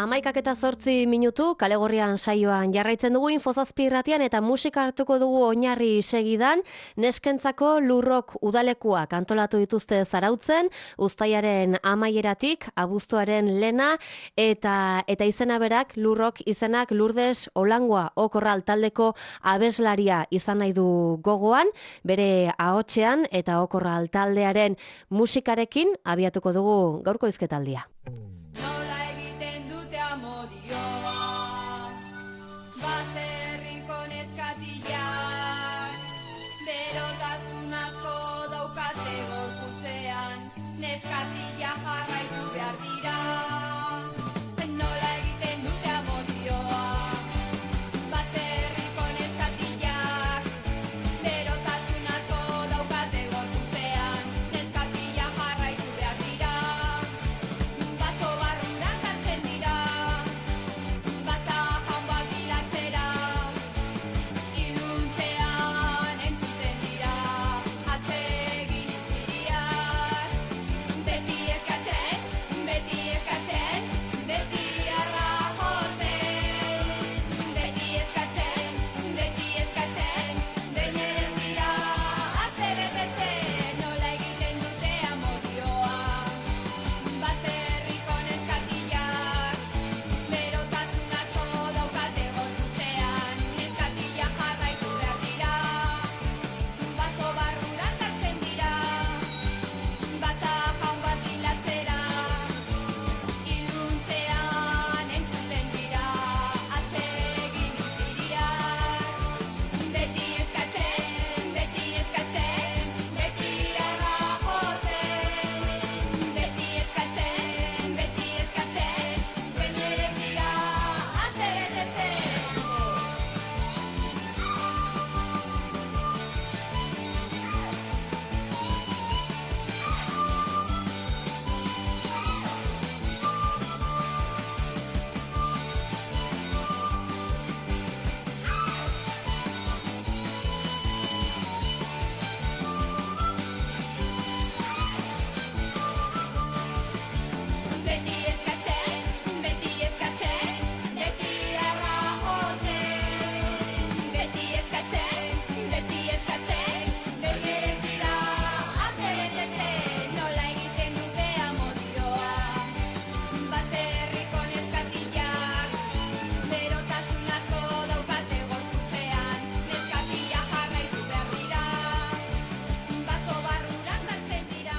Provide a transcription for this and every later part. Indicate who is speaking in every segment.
Speaker 1: 11:08 Kalegorrian saioan jarraitzen dugu Infozazpi irratian eta musika hartuko dugu oinarri segidan. Neskentzako lurrok udalekuak antolatu dituzte Zarautzen, uztailaren amaieratik abuztuaren lena eta izena berak lurrok izenak Lurdes Olangoa Okorral taldeko abeslaria izan nahi du gogoan, bere ahotsean eta Okorral taldearen musikarekin abiatuko dugu gaurko hizketaldia.
Speaker 2: Neskatila jarraitu behar dira, nola egiten dute amodioa. Baserriko neskatilak, berotasun asko daukate gorputzean. Neskatila jarraitu behar dira, baso barrura sartzen dira, baza jaun bat bilatzera, iluntzean entzuten dira, atsegin itziriak. Beti eskatzen, beti arra jotzen. Beti eskatzen, behin ere ez dira ase betetzen. Nola egiten dute amodioa. Baserriko neskatilak, berotasun asko daukate gorputzean. Neskatila jarraitu behar dira, baso barrura sartzen dira, baza jaun bat bilatzera, iluntzean entzuten dira, atsegin itziriak. Beti eskatzen, beti arra jotzen. Beti eskatzen, behin ere ez dira ase betetzen. Beti eskatzen, beti arra jotzen. Beti eskatzen, behin ere ez dira ase betetzen. Nola egiten dute amodioa. Baserriko neskatilak, berotasun asko daukate gorputzean. Neskatila jarraitu behar dira, baso barrura sartzen dira.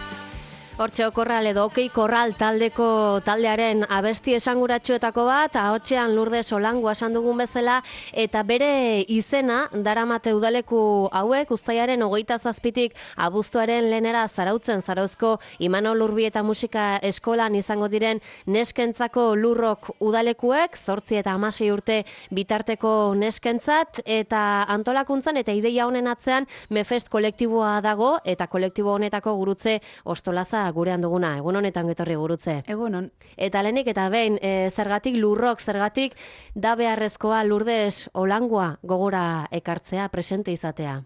Speaker 1: Hortxe Okorral edo Okei Korral taldearen abesti esanguratsuetako bat, ahotsean Lurdes Olangoa esan dugun bezala, eta bere izena daramate udaleku hauek uztailaren 27tik abuztuaren lehenera Zarautzen, Zarauzko Imanol Urbieta musika eskolan izango diren neskentzako lurrok udalekuek, 8 eta 16 urte bitarteko neskentzat, eta antolakuntzan eta ideia honen atzean Mefest kolektiboa dago, eta kolektibo honetako gurutze Ostolaza gurean duguna. Egun honetan getorri gurutze.
Speaker 3: Egunon.
Speaker 1: Eta lehenik eta behin, zergatik lurrok, zergatik da beharrezkoa Lurdes Olangoa gogora ekartzea, presente izatea?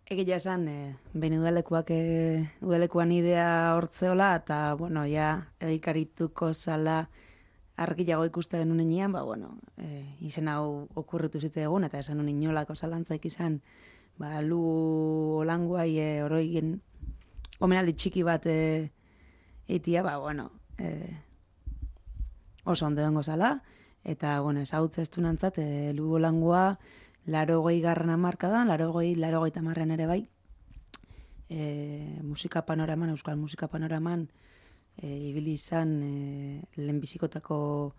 Speaker 3: Egia esan, behin udalekuan idea hortzeola, eta, bueno, ja, egikarituko zala argiago ikusten nunean, izen hau okurritu zitzaigun, eta esan nuen inolako zalantzaik izan, Lu Olangoai oroigen omenaldi txiki bat eitia, oso ondo dengo zala, eta, ezautze estunantzat, Lu Olangoa 80. hamarkadan, 80 ere bai, musika panoraman, euskal musika panoraman, ibili izan lehenbizikotako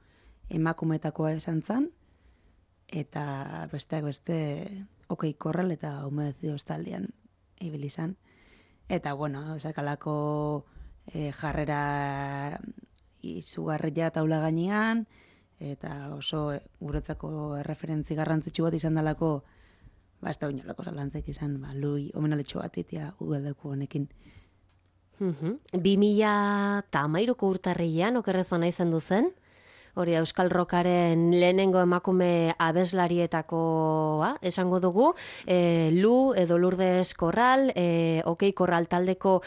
Speaker 3: emakumetakoa esan zan, eta besteak beste Okei Korral eta Umedecido taldean ibili izan. Eta, zakalako jarrera izugarria taula gainean, eta oso guretzako erreferentzi garrantzitsu bat izan dalako, ez da oinolako zalantzaik izan, lui omenalitxo bat itia udaleku honekin.
Speaker 1: 2013ko urtarrilean, okerrez bana izan duzen, Hori Euskal Rockaren lehenengo emakume abeslarietakoa, esango dugu, Lu edo Lourdes Corral, OK Corral taldeko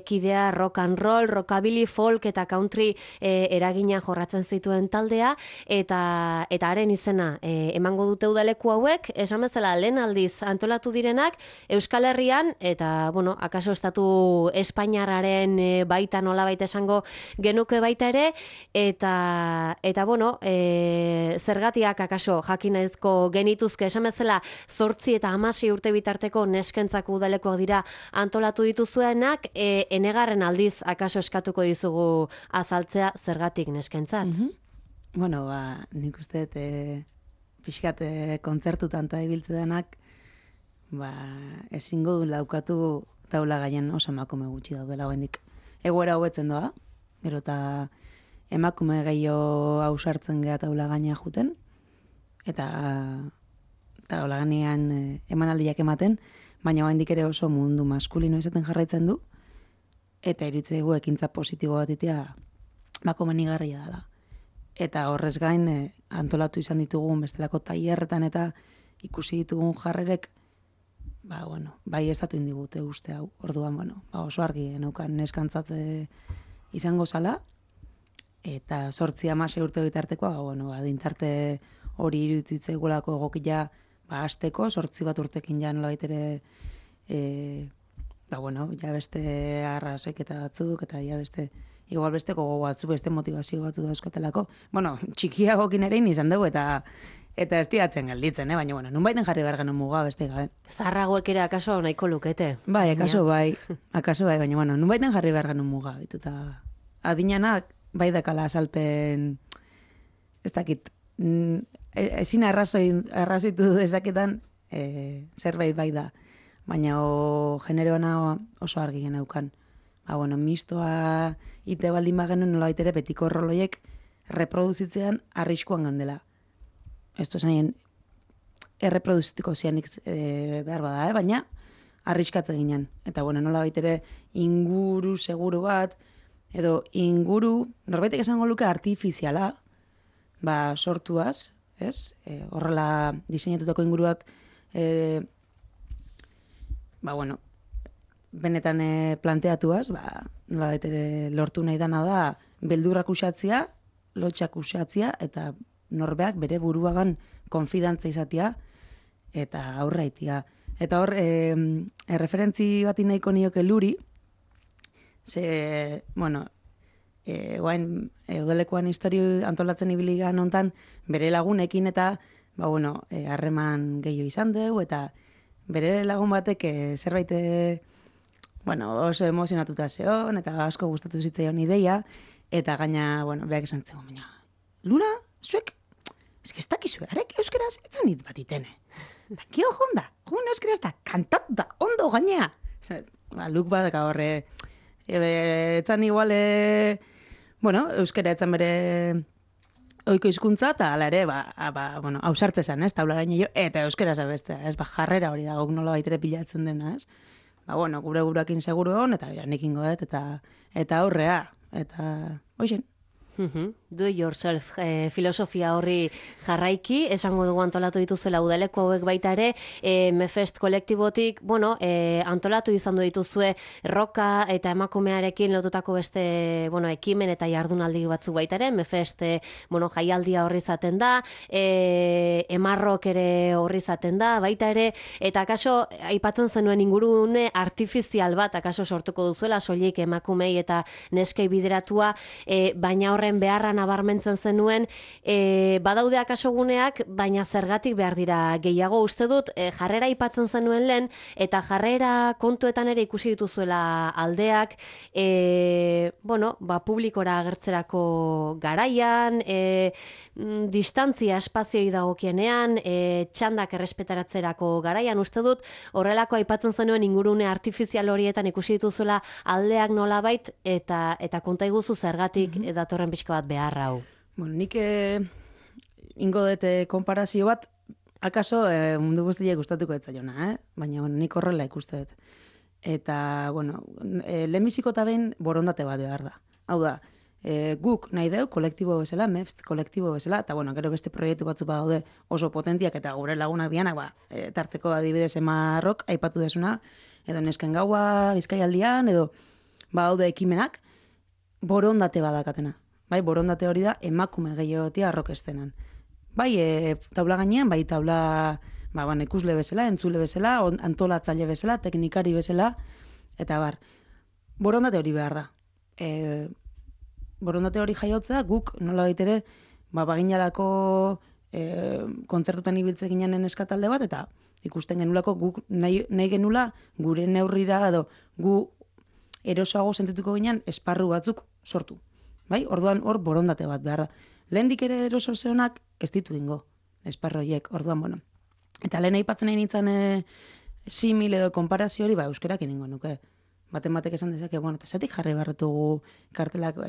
Speaker 1: kidea rock and roll, rockabilly, folk eta country eragina jorratzen zituen taldea, eta haren izena emango dute udaleku hauek, esan bezala lehen aldiz antolatu direnak Euskal Herrian, eta, bueno, akaso estatu Espainiarraren baita nolabait esango genuke baita ere, eta bueno, zergatiak akaso jakinaizko genituzke, esan bezala 8 eta 16 urte bitarteko neskentzako udalekoak dira antolatu dituzuenak, enegarren aldiz akaso eskatuko dizugu azaltzea zergatik neskentzat.
Speaker 3: Bueno, nik uste pixkat kontzertutan eta ibiltze denak, ezingo du laukatu taula gaien oso emakume gutxi daudela oraindik. Egoera hobetzen doa, gero eta emakume gehiago ausartzen gea taula gaina juten, eta taula gainean emanaldiak ematen, baina oraindik ere oso mundu maskulino izaten jarraitzen du, eta iruditzaigu ekintza positibo bat itea komenigarria dela. Eta horrez gain antolatu izan ditugun bestelako tailerretan eta ikusi ditugun jarrerek, bai estatu indigute uste hau. Orduan, oso argi geneukan neskantzat izango zala, eta 8-16 urte bitartekoa, adintarte hori iruditzaigulako egokia hasteko, 8 bat urtekin ja nolabait ere ja beste arrazoik eta batzuk, eta ja beste igual beste gogo batzuk, beste motivazio batzu dauzkatelako. Txikiagokin ere izan dugu, eta ez diatzen gelditzen, baina, nunbaiten jarri behar genuen muga beste gabe.
Speaker 1: Zaharragoek ere akaso nahiko lukete.
Speaker 3: Bai, akaso bai, baina, nunbaiten jarri behar genuen muga. Eta adinanak bai dakala asalpen, ez dakit, ezin arrazitu dezaketan zerbait bai da, baina generoana oso argi geneukan. Mistoa ite baldin bagenu nolabait ere betiko roloiek reproduzitzean arriskuan gandela. Ez zen erreproduzitiko zianik behar bada, baina arriskatze ginen. Eta nolabait ere inguru seguru bat, edo inguru, norbaitek esango luke artifiziala, sortuaz, ez? Horrela diseinatutako inguru bat, benetan planteatuaz, nolabait ere lortu nahi dana da, beldurrak usatzia, lotxak usatzia, eta norbeak bere buruagan konfidantza izatea, eta aurra itia. Eta hor, erreferentzi bat nahiko nioke Luri, ze, guain, udalekoan histori antolatzen ibiligan hontan, bere lagunekin eta, harreman gehiago izan dugu, eta bere lagun batek zerbait oso emozionatuta zeon, eta asko gustatu zitzaion ideia, eta gaina, beak esan zegoen, baina, Luna, zuek, ez dakizu, arek euskeraz etzen hitz bat itene. Eta kio jonda, euskeraz da, kantatuta, ondo gainea. Luk bat, horre, etzan igual, euskera etzan bere oiko hizkuntza, eta ala ere, hausartze zen, ez, taularaino jo, eta euskera zabestea, ez, jarrera hori da, guk nola baitere pilatzen dena, ez. Gure gurekin seguru hon, eta nekin godet, eta aurrea, eta hoxen.
Speaker 1: Do yourself filosofia horri jarraiki, esango dugu antolatu dituzuela udaleko hauek baita ere, Mefest kolektibotik, antolatu izan du dituzue roka eta emakumearekin lotutako beste, ekimen eta jardunaldi batzuk baita ere, Mefest, jaialdia horri izaten da, emarrok ere horri izaten da, baita ere, eta akaso, aipatzen zenuen ingurune artifizial bat, akaso sortuko duzuela, soilik emakumei eta neskei bideratua, baina horre beharra nabarmentzen zenuen, badaude akaso guneak, baina zergatik behar dira gehiago. Uste dut, jarrera aipatzen zenuen lehen, eta jarrera kontuetan ere ikusi dituzuela aldeak, publikora agertzerako garaian, distantzia espazioi dagokienean, txandak errespetaratzerako garaian, uste dut, horrelako aipatzen zenuen ingurune artifizial horietan ikusi dituzuela aldeak nolabait, eta konta iguzu zergatik datorren pixka bat behar hau.
Speaker 3: Nik ingo dute konparazio bat, akaso mundu guztiak gustatuko etzaiona, baina nik horrela ikuste dut. Eta, lehenbiziko eta behin borondate bat behar da. Hau da, guk nahi deu, kolektibo bezala, MEFST kolektibo bezala, eta bueno, gero beste proiektu batzu badaude oso potentiak eta gure lagunak dianak, tarteko adibidez Emarrok, aipatu desuna, edo nesken gaua, Bizkaialdian, edo badaude ekimenak, borondate badakatena. Bai, borondate hori da emakume gehiagotia rock estenan. Bai, taula gainean, bai taula ikusle bezala, entzule bezala, antolatzaile bezala, teknikari bezala, eta borondate hori behar da. Borondate hori jaiotzea, guk nola baitere, baginalako kontzertutan ibiltze ginen eskatalde bat, eta ikusten genulako guk nahi genula gure neurrira, edo gu erosoago sentituko ginen esparru batzuk sortu. Bai, orduan hor borondate bat behar da. Lehendik ere eroso zehonak ez ditu dingo, esparroiek, orduan, bueno. Eta lehen aipatzen nahi nintzen simil edo konparazio hori, euskerak iningo nuke. Baten batek esan dezake, bueno, eta zetik jarri barretugu kartelak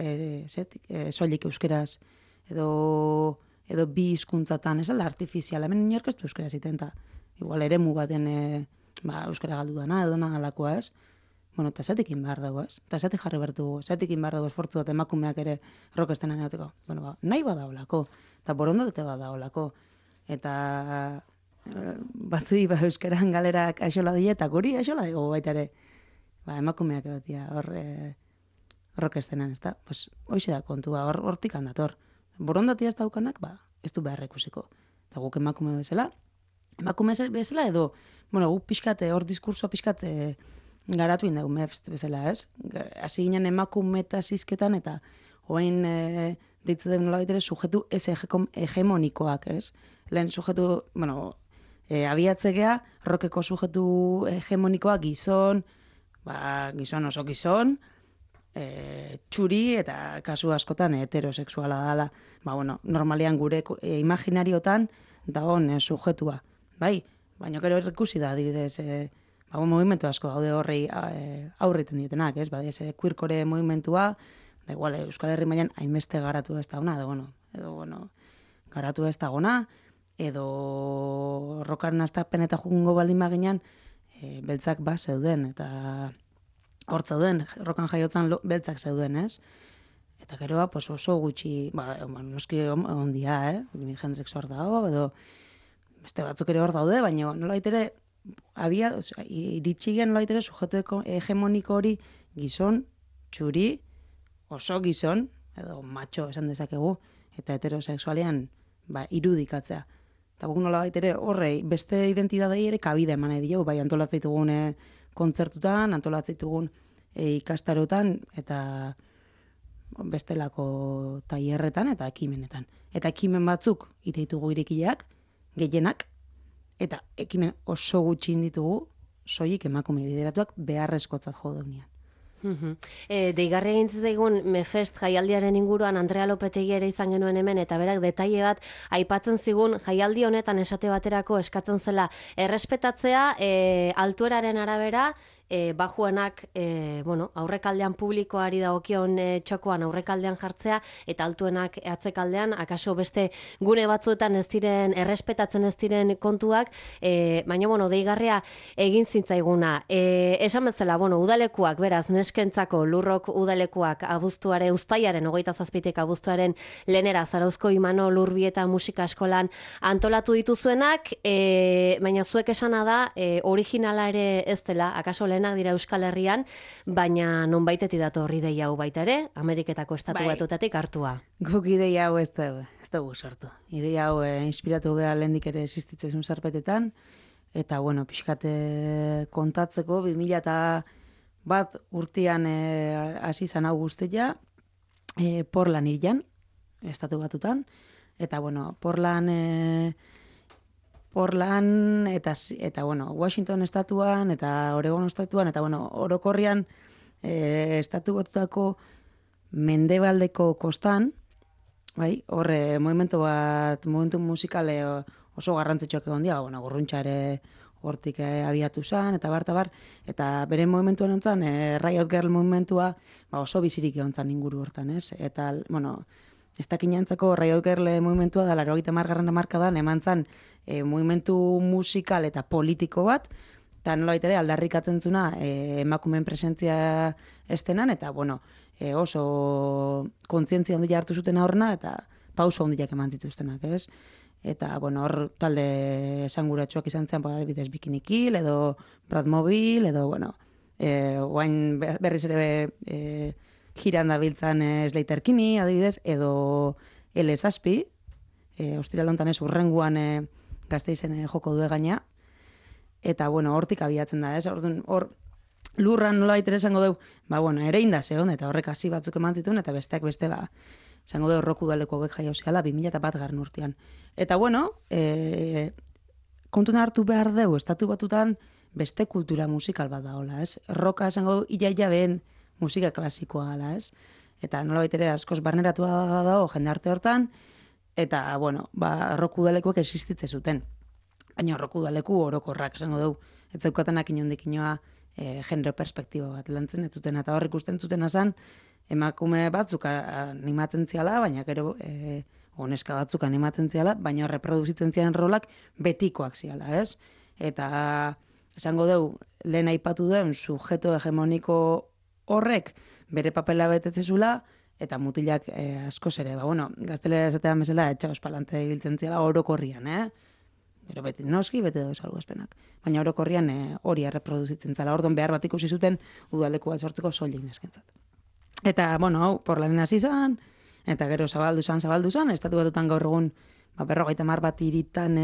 Speaker 3: soilik euskeraz, edo bi hizkuntzatan, ez ala artifiziala, hemen inork ez du euskera ziten, eta igual eremu baten euskera galdu dana, edo nahalakoa ez. Bueno, eta zetekin behar dago, ez? Eta zetik jarri bertugu, zetekin behar dago esfortzu bat emakumeak ere rockestenan egoteko. Bueno, nahi badaolako, eta borondate badaolako. Eta batzui euskeran galerak aixola die, eta guri aixola dugu baita ere. Emakumeak egotia hor rockestenan, ez da? Pues, hoxe da kontua, hortik handator. Borondatia ez daukanak, ez du behar ikusiko. Eta guk emakume bezala edo, bueno, guk pixkate, hor diskursoa pixkate, garatu indegu MEFST bezala, ez? Hasi ginen emakume eta zizketan, eta oain deitze den nola baitere sujetu ez hegemonikoak, ez? Lehen sujetu, bueno, abiatzegea, rockeko sujetu hegemonikoak gizon, gizon oso gizon, txuri eta kasu askotan heterosexuala dala. Bueno, normalean gure imaginariotan dagoen sujetua, bai? Baina gero ikusi da, adibidez, movimentu asko daude horrei aurriten dietenak, ez? Queercore movimentua, igual Euskal Herri mailan hainbeste garatu ez dauna, edo garatu ez dagona, edo rockaren astapen eta jugungo baldin baginan, beltzak zeuden, eta hor zeuden, rockan jaiotzan beltzak zeuden, ez? Eta gero, oso gutxi, noski ondia, Jimi Hendrix hor dago, edo beste batzuk ere hor daude, baina nola baitere, iritsi gen nola baitere sujetu hegemoniko hori gizon, txuri, oso gizon, edo macho esan dezakegu, eta heterosexualean irudikatzea. Eta guk nola baitere horrei, beste identidadei ere kabide eman nahi diogu, bai antolatzea kontzertutan, antolatzea ikastarotan, eta bestelako tailerretan eta ekimenetan. Eta ekimen batzuk ite ditugu irekileak, gehienak, eta ekimen oso gutxi ditugu soilik emakume bideratuak beharrezkotzat jo daunean.
Speaker 1: Deigarri egin zitzaigun MEFEST jaialdiaren inguruan Andrea Lopetegi ere izan genuen hemen, eta berak detaile bat aipatzen zigun jaialdi honetan esate baterako eskatzen zela errespetatzea altueraren arabera, bajuenak aurrekaldean publikoari dagokion txokoan aurrekaldean jartzea, eta altuenak atzekaldean, akaso beste gune batzuetan ez diren, errespetatzen ez diren kontuak, baina, deigarria egin zintzaiguna. Esan bezala, udalekuak, beraz, neskentzako lurrok udalekuak uztailaren 27 abuztuaren lehenera Zarauzko Imanol Urbieta musika eskolan antolatu dituzuenak, baina zuek esana da, originala ere ez dela, akaso lehenak dira Euskal Herrian, baina nonbaitetik dator ideia hau baita ere, Ameriketako estatu batuetatik hartua.
Speaker 3: Guk ideia hau ez dugu sortu. Ideia hau inspiratu geha lehendik ere existitzen zarpetetan, eta pixkate kontatzeko 2001 urtean hasi zan hau guztia, Portland irian, estatu batutan, eta Portland eta Washington estatuan eta Oregon estatuan eta orokorrian estatu batutako mendebaldeko kostan, bai, horre momentu musikale oso garrantzitsuak egon dira, Gurruntxa ere hortik abiatu zen, eta bar, eta bere momentuan ontzan, Riot Girl momentua oso bizirik egon zen inguru hortan, ez? Eta, ez dakinantzako Riot Girl movimentua da 80. hamarkadan eman zen movimentu musikal eta politiko bat, eta nolabait ere aldarrikatzen zuna emakumeen presentzia estenan, eta oso kontzientzia handia hartu zuten horna, eta pauso handiak eman dituztenak, ez? Eta, bueno, hor talde esanguratsuak izan zen, adibidez Bikini Kill, edo Bradmobil, edo, bueno, guain berriz ere jiran dabiltzan Slater Kinney, adibidez, edo L7, ostiral hontan ez, urrenguan Gasteizen joko du gaina, eta, bueno, hortik abiatzen da, ez? Hor lurran nola baitere esango dugu, bueno, ere inda zeon, eta horrek hasi batzuk eman zituen, eta besteak beste, esango dugu Roku Udaleko hauek jaio ziala 2001 urtean. Eta, bueno, kontuna hartu behar dugu, estatu batutan beste kultura musikal bat da, hola, ez? Roka esango dugu, iaia behen musika klasikoa dela, ez? Eta nola baitere askoz barneratua dago jende arte hortan, eta, bueno, Roku Udalekoek existitze zuten. Baina Roku Udaleku orokorrak esango dugu, ez zeukatenak inondik inoa genero perspektiba bat lantzen ez zuten, eta hor ikusten zuten azan, emakume batzuk animatzen ziala, baina gero neska batzuk animatzen ziala, baina reproduzitzen zian rolak betikoak ziala, ez? Eta esango dugu, lehen aipatu duen sujeto hegemoniko horrek bere papela betetzezula, eta mutilak askoz ere, gaztelera esatean bezala, etxaos palante ibiltzen ziala orokorrian, Pero beti noski, bete dauz salbuespenak. Baina orokorrian hori erreproduzitzen zala. Ordon behar bat ikusi zuten udaleku bat sortzeko soilik neskentzat. Eta, hau, porlanen hasi zan, eta gero zabaldu zan, estatu batutan gaur egun 50 bat hiritan,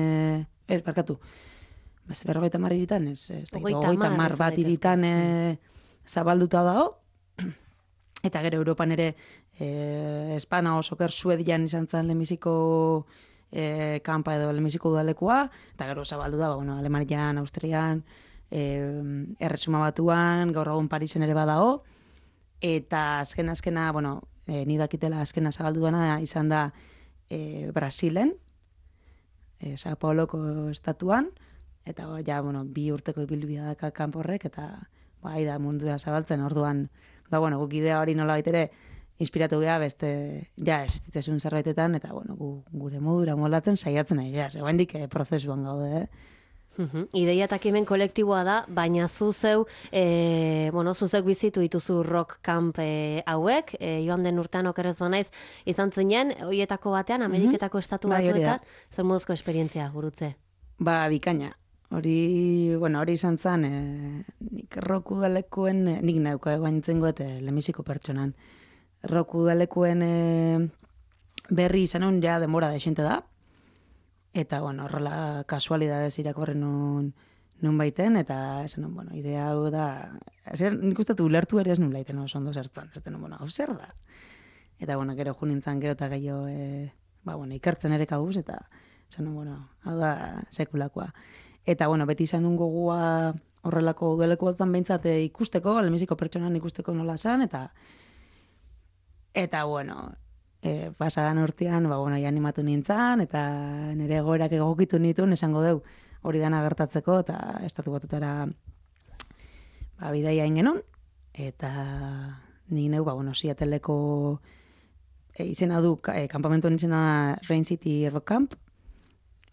Speaker 3: berrogeita mar hiritan, hogeita mar bat hiritan zabalduta dago, eta gero Europan ere Espana osoker Suedian izan zen lehenbiziko kanpa edo lehenbiziko udalekua, eta gero zabaldu da, Alemanian, Austrian, Erresuma Batuan, gaur egun Parisen ere badago, eta azkena, ni dakitela azkena zabaldu dana izan da Brasilen, Sao Pauloko estatuan, eta bi urteko ibilbidea daka kanporrek, eta da mundura zabaltzen, orduan, guk idea hori nola baitere, inspiratu geha beste, existitezun zerbaitetan, eta gure modura moldatzen saiatzen nahi, zegoendik prozesuan gaude,
Speaker 1: Ideia eta ekimen kolektiboa da, baina zuzeu bizitu dituzu rock camp hauek, joan den urtean okerrez banaiz, izan zinen, hoietako batean, Ameriketako estatu batuetan, zer moduzko esperientzia gurutze?
Speaker 3: Bikaina. Hori izan zen, nik Rock Udalekuen, nik nauko egoaintzen goet lehenbiziko pertsonan. Rock Udalekuen berri izan hon ja denbora da esente da, eta, horrela kasualidadez irakorren nun baiten, eta esan, idea hau da, nik uste ulertu ere ez nun laiten oso ondo zertzen, hau zer da? Eta, gero junintzan gero eta gehiago, ikertzen ere kabuz, eta esan, hau da sekulakoa. Eta, beti izan nun gogua horrelako udaleku batzan behintzat ikusteko, lehenbiziko pertsonan ikusteko nola zan, eta, pasadan urtean, animatu nintzen, eta nire egoerak egokitu nituen, esango deu, hori dana gertatzeko, eta estatu batutara bidaia ingenon, eta nik neu, Seattleko izena du, kampamentuan izena da Rain City Rock Camp,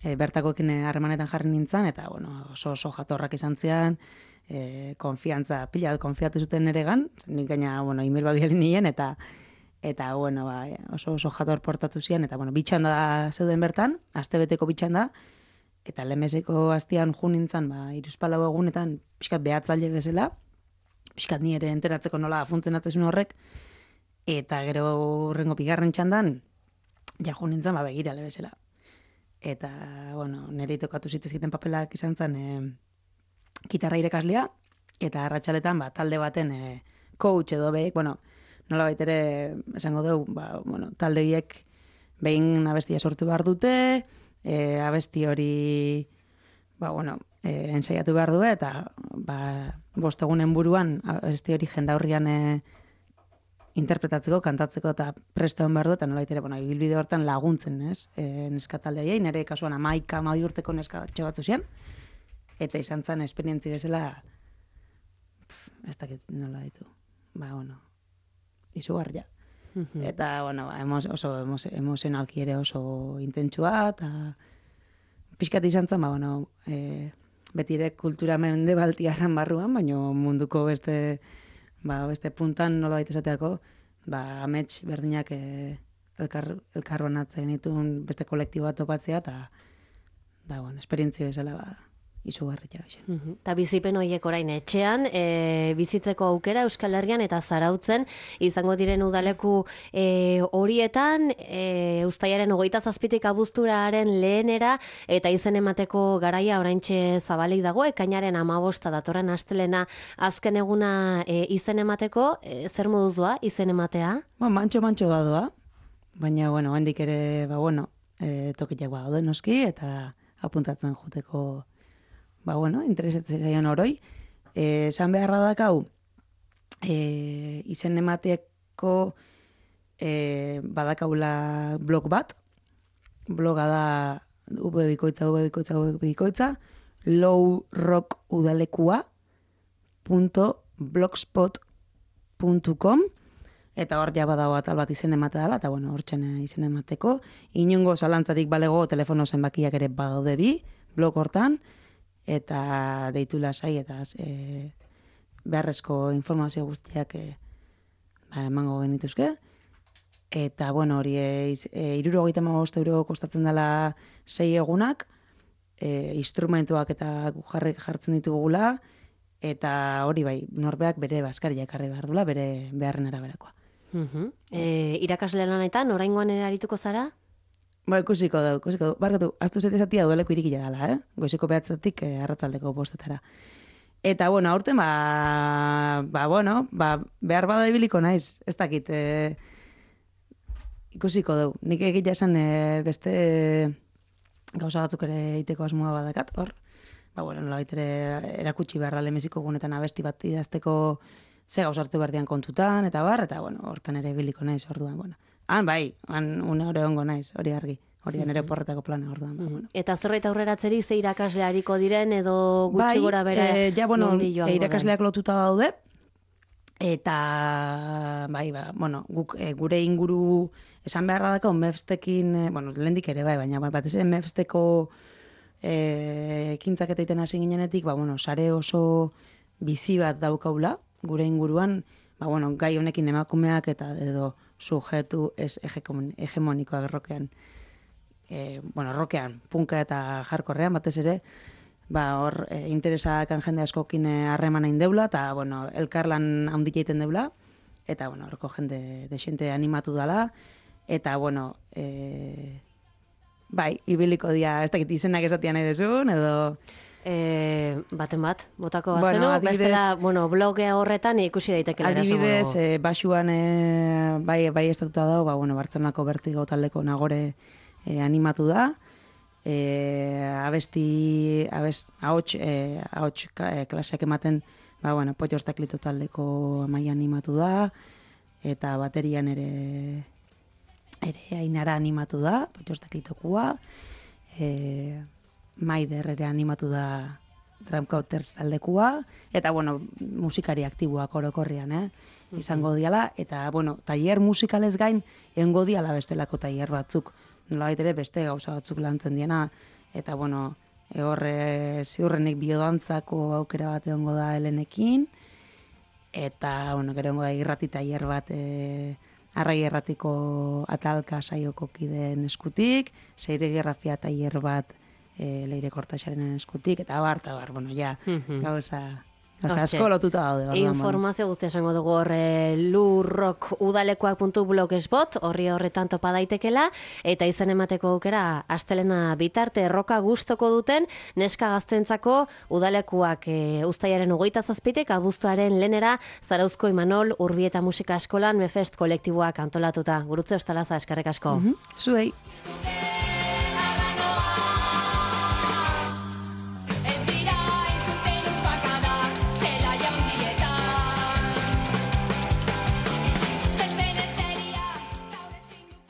Speaker 3: bertakoekin harremanetan jarri nintzen, eta oso jatorrak izan zian, konfiantza, pila konfiatu zuten neregan, nik gaina, email babialin nien, eta oso jator portatu zian, eta bitxanda zeuden bertan, astebeteko bitxanda, eta lemeseko astian jo nintzen, 3-4 egunetan, pixkat behatzaile bezala, pixkat ni ere enteratzeko nola funtzionatzen horrek, eta gero urrengo bigarren txandan, jo nintzen, begirale bezala. Eta, nire tokatu zitezkiten papelak izan zen gitarra irekaslea, eta arratsaletan talde baten coach edo behik, nola baitere, esango dugu, taldegiek behin abestia sortu behar dute, abesti hori, ensaiatu behar du, eta 5 egunen buruan abesti hori jendaurrian interpretatzeko, kantatzeko eta prestoen behar du, eta nola baitere, ibilbide hortan laguntzen, neska taldegiei, nire kasuan 11 urteko neska batzu zian, eta izan zen esperientzi bezala, ez dakit nola ditu, izugarria. Eta, oso emozionalki ere oso intentsua, eta pixkat izan zen, betire kultura mendebaltiaran barruan, baina munduko beste puntan nola baita esateako, amets berdinak elkar banatzen dituen beste kolektibo bat topatzea, eta bueno, esperientzia bezala izugarria baxen.
Speaker 1: Ta bizipen horiek orain etxean, bizitzeko aukera Euskal Herrian eta Zarautzen izango diren udaleku horietan, uztailaren 27tik abuzturaren lehenera, eta izen emateko garaia oraintxe zabalik dago, ekainaren 15 datorren astelena azken eguna izen emateko, zer moduz doa izen ematea?
Speaker 3: Mantxo da doa, baina, hendik ere, tokiak badaude noski, eta apuntatzen juteko interesatzen zaion oroi. Esan beharra dakau, izen emateko badakaula blog bat. Bloga da vbikoitza lowrockudalekua.blogspot.com, eta hor ja badago atal bat izen ematea dela, eta hortzen izen emateko. Inongo zalantzarik balego telefono zenbakiak ere badaude bi, blog hortan, eta deitu lasai, eta beharrezko informazio guztiak emango genituzke. Eta, hori 75 euro kostatzen dela 6 egunak, instrumentuak eta jartzen ditugula, eta hori bai, norbeak bere baskaria ekarri behar dula, bere beharren araberakoa.
Speaker 1: Irakasle lanetan, oraingoan ere arituko zara?
Speaker 3: Ikusiko du. Barkatu, astu zetezatia dueleko irikila dela, Goizeko 9:00 arratsaldeko 5:00. Eta, aurten, behar bada ibiliko naiz, ez dakit, ikusiko du. Nik egitea esan beste gauza batzuk ere iteko asmoa badakat, hor. Nolabait ere erakutsi behar da lemeziko gunetan abesti bat idazteko ze gauza hartu behar dian kontutan, eta hortan ere ibiliko naiz, orduan, une hori ongo naiz, hori argi. Hori da nire porretako plana, orduan.
Speaker 1: Eta zerbait aurreratzeri ze irakasle hariko diren edo gutxi gora bera nondi joango den?
Speaker 3: Irakasleak lotuta daude, eta guk gure inguru esan beharra dako MEFSTekin, lehendik ere baina batez ere MEFSTeko ekintzak eta iten hasi ginenetik, sare oso bizi bat daukaula, gure inguruan, gai honekin emakumeak eta edo sujetu ez hegemonikoak rokean, rokean, punka eta jarkorrean, batez ere, hor interesakan jende askokin harremana indeula, eta, elkarlan handik egiten deula, eta, horko jende desente animatu dela, eta, ibiliko dia, ez dakit izenak esatian nahi dezun, edo...
Speaker 1: Baten bat, botako bat zenu, bestela, bloge horretan ikusi daitekela erasango.
Speaker 3: Adibidez, basuan bai estatuta dago, Bartzelonako Bertigo taldeko Nagore animatu da, ahots klaseak ematen, Potxos Taklito taldeko Amaia animatu da, eta baterian ere Ainara animatu da, Potxos Taklitokua, Maider ere animatu da Drumcauters taldekua, eta, musikari aktiboak orokorrian, izango diala, eta, tailer musikalez gain, egongo diala bestelako tailer batzuk, nolabait ere beste gauza batzuk lantzen diena, eta, horre ziurrenik biodantzako aukera bat egongo da Helenekin, eta, gero egongo da irrati tailer bat, Arrai Erratiko atalka saioko kideen eskutik, Seire Gerrafia tailer bat Leire Kortaxaren eskutik, eta bar, gauza asko lotuta daude.
Speaker 1: Informazio guztia esango dugu hor lurrockudalekoak.blogspot, horretan topa daitekela, eta izen emateko aukera astelena bitarte erroka gustoko duten, neska gaztentzako udalekuak uztailaren 27tik abuztuaren lehenera Zarauzko Imanol Urbieta Musika Eskolan MEFEST kolektiboak antolatuta. Gurutze Ostalaza, eskerrik asko.
Speaker 3: Zuei.